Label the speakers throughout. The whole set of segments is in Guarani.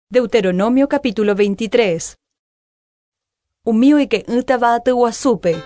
Speaker 1: Deuteronomio capítulo 23. Umi oike'ỹtava aty guasúpe.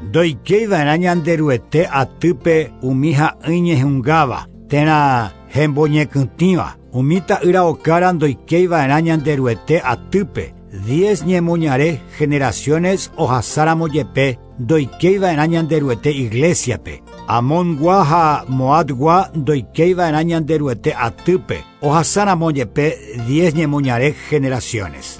Speaker 2: Ndoikéiva'erã Ñanderuete atýpe umi ha'ỹi ñehungáva térã hemboñekytĩva. Umi ta'ýra okára ndoikéiva'erã Ñanderuete atýpe. Diez ñemoñare generaciones ohasáramo jepe ndoikéiva'erã Ñanderuete iglesia-pe. Amongua ha Moabgua ndoikéiva'erã Ñanderuete atýpe ohasáramo jepe diez ñemoñare generaciones.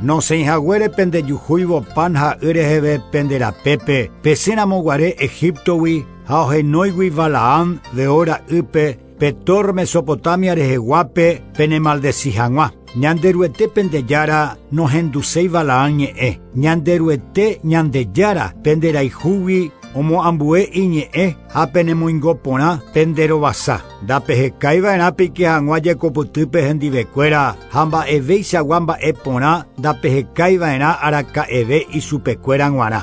Speaker 2: Nosẽihaguére pendejuhúivo pan ha y reheve pende rapépe pesẽramoguare Egiptogui ha ohenóigui Balaam Beor ra'ýpe Petor Mesopotamia reheguápe penemaldeci hag̃ua. Ñanderuete pende Jára nohenduséi Balaam ñe'ẽ. Ñanderuete Ñandejára penderayhúgui omoambue iñe'ẽ ha penemoingo porã penderovasa. Ndapehekaiva'erã peike hag̃ua jekopytýpe hendivekuéra ha mba'eveichagua mba'e porã ndapehekaiva'erã araka'eve ichupekuéra g̃uarã.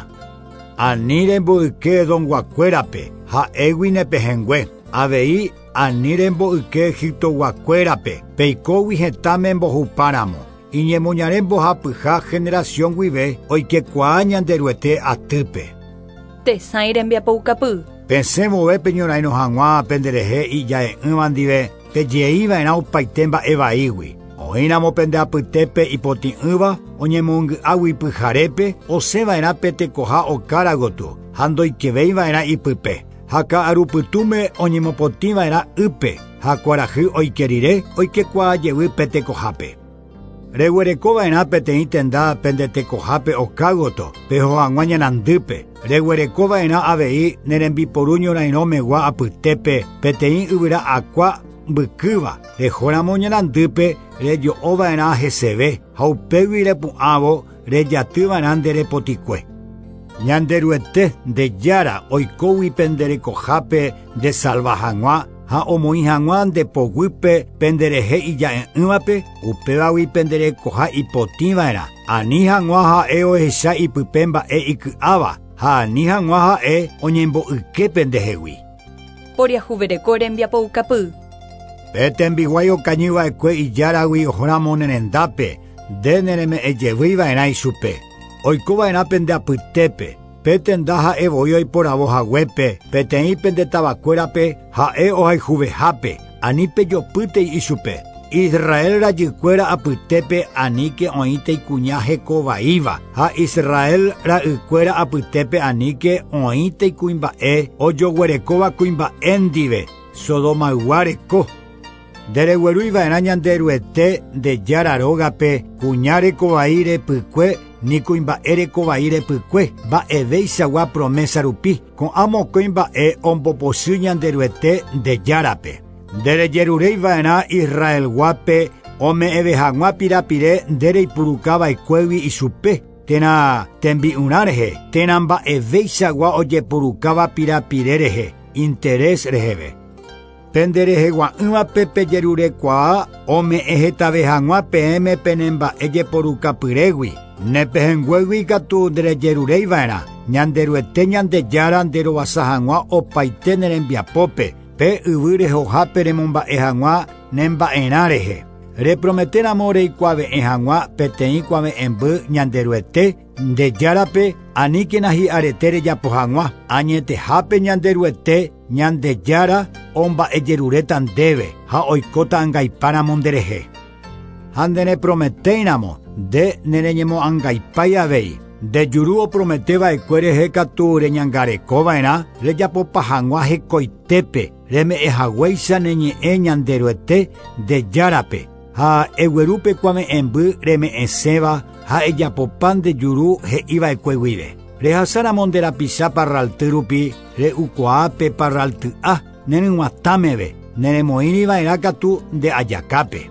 Speaker 2: Ani remboyke Edomguakuérape, ha'égui ne pehẽngue. Avei ani remboyke Egiptoguakuérape, peikógui hetãme mbohupáramo. Iñemoñare mbohapyha generación guive oikekuaa Ñanderuete atýpe.
Speaker 1: Tesãi rembiapoukapy.
Speaker 2: Pesẽ vove peñorairõ hag̃ua penderehe ija'e'ỹva ndive pejeiva'erã opaite mba'e vaígui. Oĩramo pende apytépe ipotĩ'ỹva oñemongy'águi pyharépe osẽva'erã pe tekoha okára gotyo ha ndoikevéiva'erã ipype. Ha ka'arupytũme oñemopotĩva'erã ýpe ha kuarahy oike rire oikekuaa jevy pe tekohápe. Reguerekova'erã peteĩ tenda pende tekohápe oka gotyo, peho hag̃ua ñanandýpe. Reguerekova'erã avei ne rembiporu ñorairõmegua apytépe peteĩ yvyra akua mbykýva. Rehóramo ñanandýpe rejo'ova'erã heseve ha upégui repu'ãvo rejatyva'erã nde repotikue. Ñanderuete nde Jára oikógui pende rekohápe ndesalva hag̃ua ha omoĩ hag̃ua nde poguýpe penderehe ija'e'ỹvape, upévagui pende rekoha ipotĩva'erã. Ani hag̃ua ha'e ohecha ipype mba'e iky'áva ha ani hag̃ua ha'e oñembo'yke pendehegui.
Speaker 1: Poriahuvereko rembiapoukapy.
Speaker 2: Pe tembiguái okañyva'ekue ijáragui ohóramo ne rendápe, nde nereme'ẽjevyva'erã ichupe. Oikova'erã pende apytépe, pe tenda ha'e voi oiporavo haguépe, peteĩ pende tavakuérape ha'e ohayhuvehápe, ani pejopýtei ichupe. Israel rajykuéra apytépe aníke oĩtei kuña hekovaíva ha Israel ra'ykuéra apytépe aníke oĩtei kuimba'e ojoguerekóva kuimba'e ndive Sodomaygua reko. Ndereguerúiva'erã Ñanderuete nde Jára rógape kuña rekovai repykue ni kuimba'e rekovai repykue mba'eveichagua promesa rupi. Ko'ã mokõi mba'e ombopochy Ñanderuete nde Járape. Nderejerureiva'erã Israelguápe ome'ẽve hag̃ua pirapire ndereipurukava'ekuégui ichupe térã tembi'urã rehe térã mba'eveichagua ojepurukáva pirapire rehe interés reheve. Penderehegua'ỹvape pejerurekuaa ome'ẽ hetave hag̃ua peẽme penemba'e jeporukapyrégui. Nepehẽnguégui katu nderejerureiva'erã Ñanderuete Ñandejára nderovasa hag̃ua opaite ne rembiapópe pe yvy rehohápe remomba'e hag̃ua nemba'erã rehe. Reprometéramo reikuave'ẽ hag̃ua peteĩ kuave'ẽmby Ñanderuete nde Járape aníkena hi'arete rejapo hag̃ua. Añetehápe Ñanderuete Ñandejára omba'ejeruréta ndéve ha oikóta angaipáramo nderehe. Ha ndereprometéiramo nde nereñemoangaipái avei. Nde juru oprometeva'ekue rehe katu reñangarekova'erã rejapopa hag̃ua hekoitépe reme'ẽhaguéicha ne ñe'ẽ Ñanderuete nde Járape ha eguerúpe kuave'ẽmby reme'ẽséva ha ejapopa nde juru he'iva'ekue guive. Rehasáramo nde rapicha parralty rupi re'ukuaa pe parralty'a neryg̃uatãmeve neremoĩriva'erã katu nde ajakápe.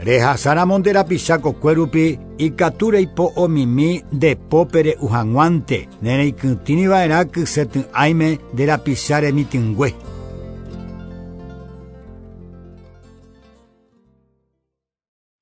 Speaker 2: Rehasáramo nde rapicha kokue rupi ikatu reipo'omimi nde pópe re'u hag̃uánte nereikytĩriva'erã kysety'ãime nde rapicha remitỹngue.